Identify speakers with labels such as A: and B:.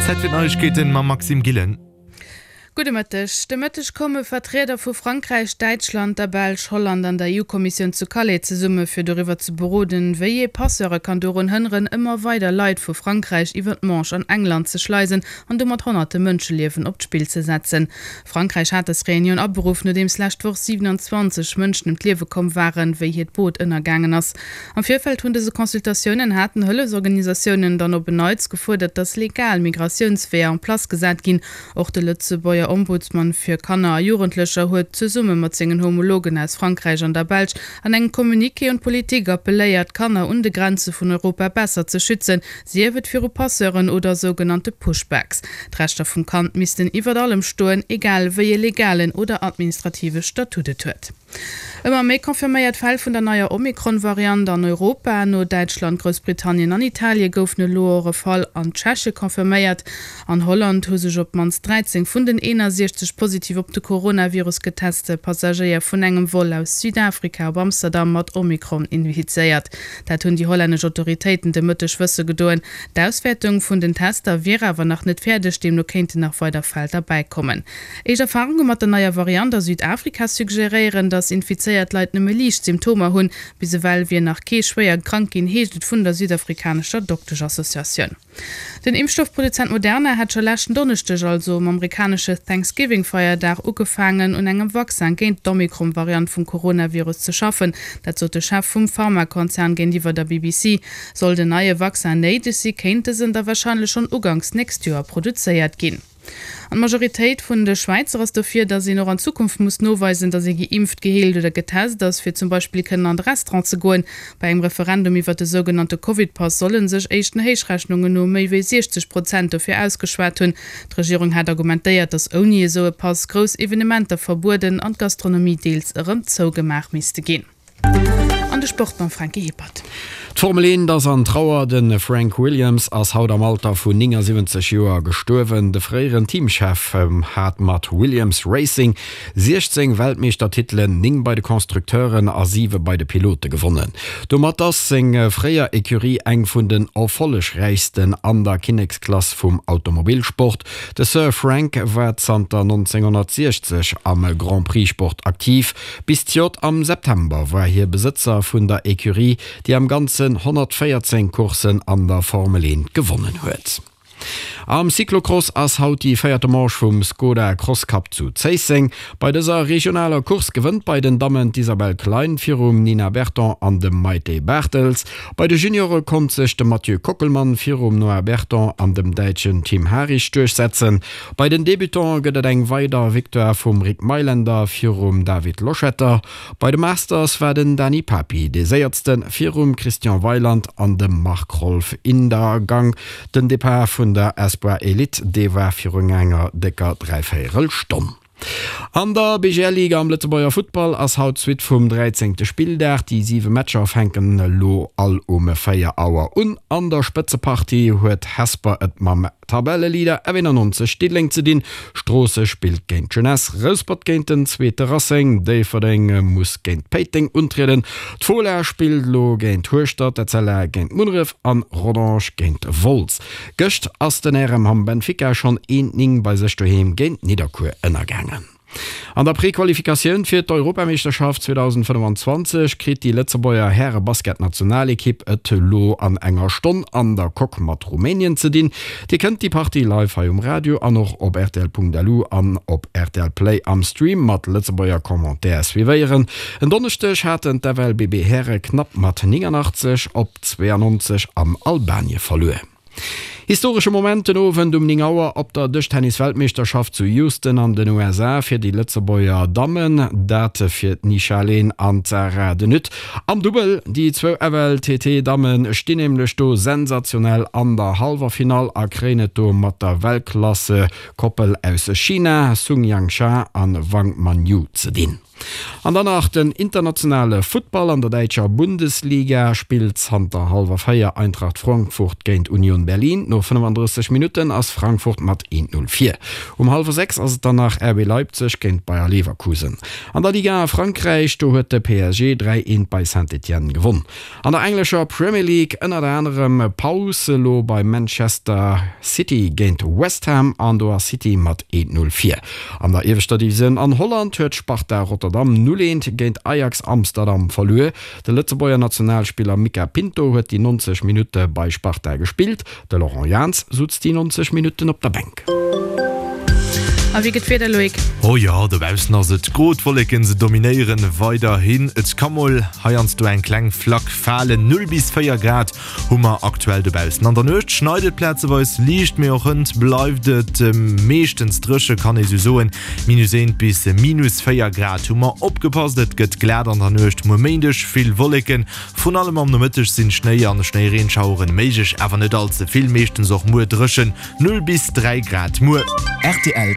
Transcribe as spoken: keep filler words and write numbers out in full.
A: Zäit fir d'Neiegkeeten mam Maxime Gillen.
B: Gudde Mëtteg. De Mëtteg komme Vertrieder vu Frankräich, Däitschland, der Belsch, Holland an der EU-Kommissioun zu Calais zesumme fir doriwwer ze beroden, wéi ee Passeure kann dorun hënneren, ëmmer weider Leit vu Frankräich iwwer d'Manche an England ze schleisen an domat honnerte Mënscheliewen op d'Spill ze setzen. Frankräich hat dës Reunioun aberuff, nodeems lescht Woch siwenanzwanzeg Mënschen ëm d'Liewe komm waren, wéi hiert Boot ënnergaangen ass. Am Virfeld vun dëse Consultatiounen haten Hëllefsorganisatiounen dann op en Neits gefuerdert, datt legal Migratiounsweeër en place gesat ginn. Och de Lëtzebuerger Ombudsman fir Kanner a Jugendlecher huet zesumme mat sengen Homologen aus Frankräich an der Belsch an engem Communiqué un d'Politik appelléiert, d'Kanner un de Grenze vun Europa besser ze schützen, sief et viru Passeuren oder sougenannte Pushbacks. D'Rechter vum Kand missten iwwert allem stoen, egal wéi e legalen oder administrative Statut et huet. Ëmmer méi confirméiert Fäll vun der neier Omikron-Variant an Europa. No Däitschland, Groussbritannien an Italie goufen elo och e Fall an Tscheche confirméiert. An Holland hu sech op d'mannst dräizéng vun den eenasechzeg positiv op de Coronavirus geteste Passagéier vun engem Vol aus Südafrika op Amsterdam mat Omikron infizéiert. Dat hunn déi hollännesch Autoritéiten de Mëtteg wësse gedoen. D'Auswäertung vun den Tester wier awer nach net fäerdeg, deemno kéinten nach weider Fäll derbäikommen. Éischt Erfarunge mat der neier Variant a Südafrika suggeréieren, datt infizéiert Leit nëmme liicht Symptomer hunn. Bis ewell wier nach kee schwéier krank ginn, heescht et vun der südafrikanescher Dokteschassociatioun. Den Impfstoffproduzent Moderna hat scho leschten Donneschdeg, also um amerikanesche Thanksgiving-Feierdag, ugefaangen, un engem Vaccin géint d'Omikron-Variant vum Coronavirus ze schaffen. Dat sot de Chef vum Pharmakonzern géintiwwer der B B C. Soll den neie Vaccin néideg si, kéint dësen da warscheinlech schonn uganks nächst Joer produzéiert ginn. An d'Majoritéit vun de Schwäizer ass dofir, datt een och an Zukunft muss noweisen, datt ee geimpft, geheelt oder getest ass, fir zum Beispill kënnen an de Restaurant ze goen. Bei engem Referendum iwwert de sougenannte Covid-Pass solle sech éischten Héichrechnungen no méi wéi siechzeg Prozent dofir ausgeschwat hunn. D'Regierung hat argumentéiert, datt ouni esou e Pass grouss Evenementer verbueden an d'Gastronomie deels erëm zougemaach misste ginn. An de Sport mam Franky Hippert.
C: D'Formel eent ass an Trauer, De Frank Williams ass haut am Alter vun néngasiwwenzeg Joer gestuerwen. De fréieren Teamchef hat mat Williams Racing siechzéng Weltmeeschtertitelen, néng bei de Constructeuren a siwe bei de Pilote gewonnen. Domat ass seng fréier Ecurie eng vun den erfollegräichsten an der Kinneksklass vum Automobilsport. De Sir Frank war zanter nonzénghonnertsiechzeg am Grand-Prix-Sport aktiv. Bis zejoert am September war hie Besëtzer vun der Ecurie, déi am Ganzen honnertvéierzéng Courssen an der Formel eent gewonnen huet. Am Cyclocross ass haut déi véierte Manche vum Skoda Cross Cup zu Zéisseng. Bei dëser regionaler Course gewënnt bei den Dammen d'Isabelle Klein virum Nina Berton an dem Maite Bartels. Bei de Juniore konnt sech de Mathieu Kockelmann virum Noah Berton an dem Däitschen Tim Harich duerchsetzen. Bei den Debutante gëtt et eng weider Victoire vum Rick Meylender virum David Loschetter. Bei de Masters war den Dany Papi dee séiersten virum Christian Weiland an dem Marc Rolf Indergang. Den Depart vun der Espoir Elite, dee war virun enger décker dräivéierel Stonn. An der B G L Liga am Lëtzebuerger Futtball ass haut d'Suite vum dräizéngte Spilldag. Déi siwe Matcher fänken elo all um véier Auer un. An der Spëtzepartie huet Hesper et mam Tabelleleader F énannonzeg Diddeleng ze dinn. Stroosseg spillt géint d'Jeunesse, Rouspert géint den zweete Racing, Déifferdeng muss géint Péiteng untrieden. D'Fola spillt elo géint Hueschtert, d'Etzella géint Munneref an Rodange géint Wolz. Gëscht ass den R M Hamm Benfica schonn eent néng bei sech doheem géint Nidderkuer ënnergaangen. An der Prequalifikatioun fir d'Europameeschterschaft zweedausendfënnefanzwanzeg kritt déi Lëtzebuerger Häre-Basketnationalekipp et elo an enger Stonn an der Coque mat Rumänien ze dinn. Dir kënnt déi Partie live hei um Radio an och op R T L Punkt L U an op R T L Play am Stream mat Lëtzebuerger Commentaire suivéieren. En Donneschdeg haten d'F L B B Häre knapp mat nénganachtzeg op zweeannonzeg an Albanie verluer. Historesche Moment den Owend um néng Auer op der Dëschtennis-Weltmeeschterschaft zu Houston an den U S A fir déi Lëtzebuerger Dammen, dat fir d'Nisha Lehn an d'Sarah de Nutte am Dubbel. Déi zwou F L T T-Damme stinn nämlech do sensationell an der Halleffinall a kréien et do mat der Weltklasse-Koppel aus China, Sun Yingsha an Wang Manyu ze dinn. An dann nach den internationale Futtball, An der däitscher Bundesliga spillt zanter hallwer véier Eintracht Frankfurt géint Union Berlin. No fënnefandrësseg Minutten ass Frankfurt mat eent Null vir. Um hallwer sechs ass et dann nach R B Leipzig géint Bayer Leverkusen. An der Ligue un a Frankräich, do huet de P S G dräi eent bei Saint-Étienne gewonn. An der englescher Premier League ënnert anerem Paus elo bei Manchester City géint West Ham an do ass City mat eent Null vir. An der ieweschter Divisioun an Holland huet Sparta Rotterdam null eent géint Ajax Amsterdam verluer. De Lëtzebuerger Nationalspiller Mica Pinto huet déi neunzeg Minutte bei Sparta gespillt. De Laurent Jans sutz déi neunzeg Minutten op der Bänk.
B: A wéi gëtt d'Wieder, Loïc?
A: Oh jo, dobaussen ass et gro, d'Wolleken se dominéieren weiderhin. Et ka mol heiansdo eng kleng Flack falen. Null bis véier Grad hu mer aktuell dobaussen. An der Nuecht schneit et plazeweis liicht, mee och hënt bleift et meeschtens dréche kann ee sou soen. Minus eent bis minus véier Grad hu mer. Opgepasst, et gëtt glat an der Nuecht. Muer Méindeg vill Wolleken, vrun allem am Nomëtteg sinn Schnéi an Schnéireenschaueren méiglech, awer net all ze vill. Meeschtens och muer dréchen, null bis dräi Grad muer.
D: Rtl.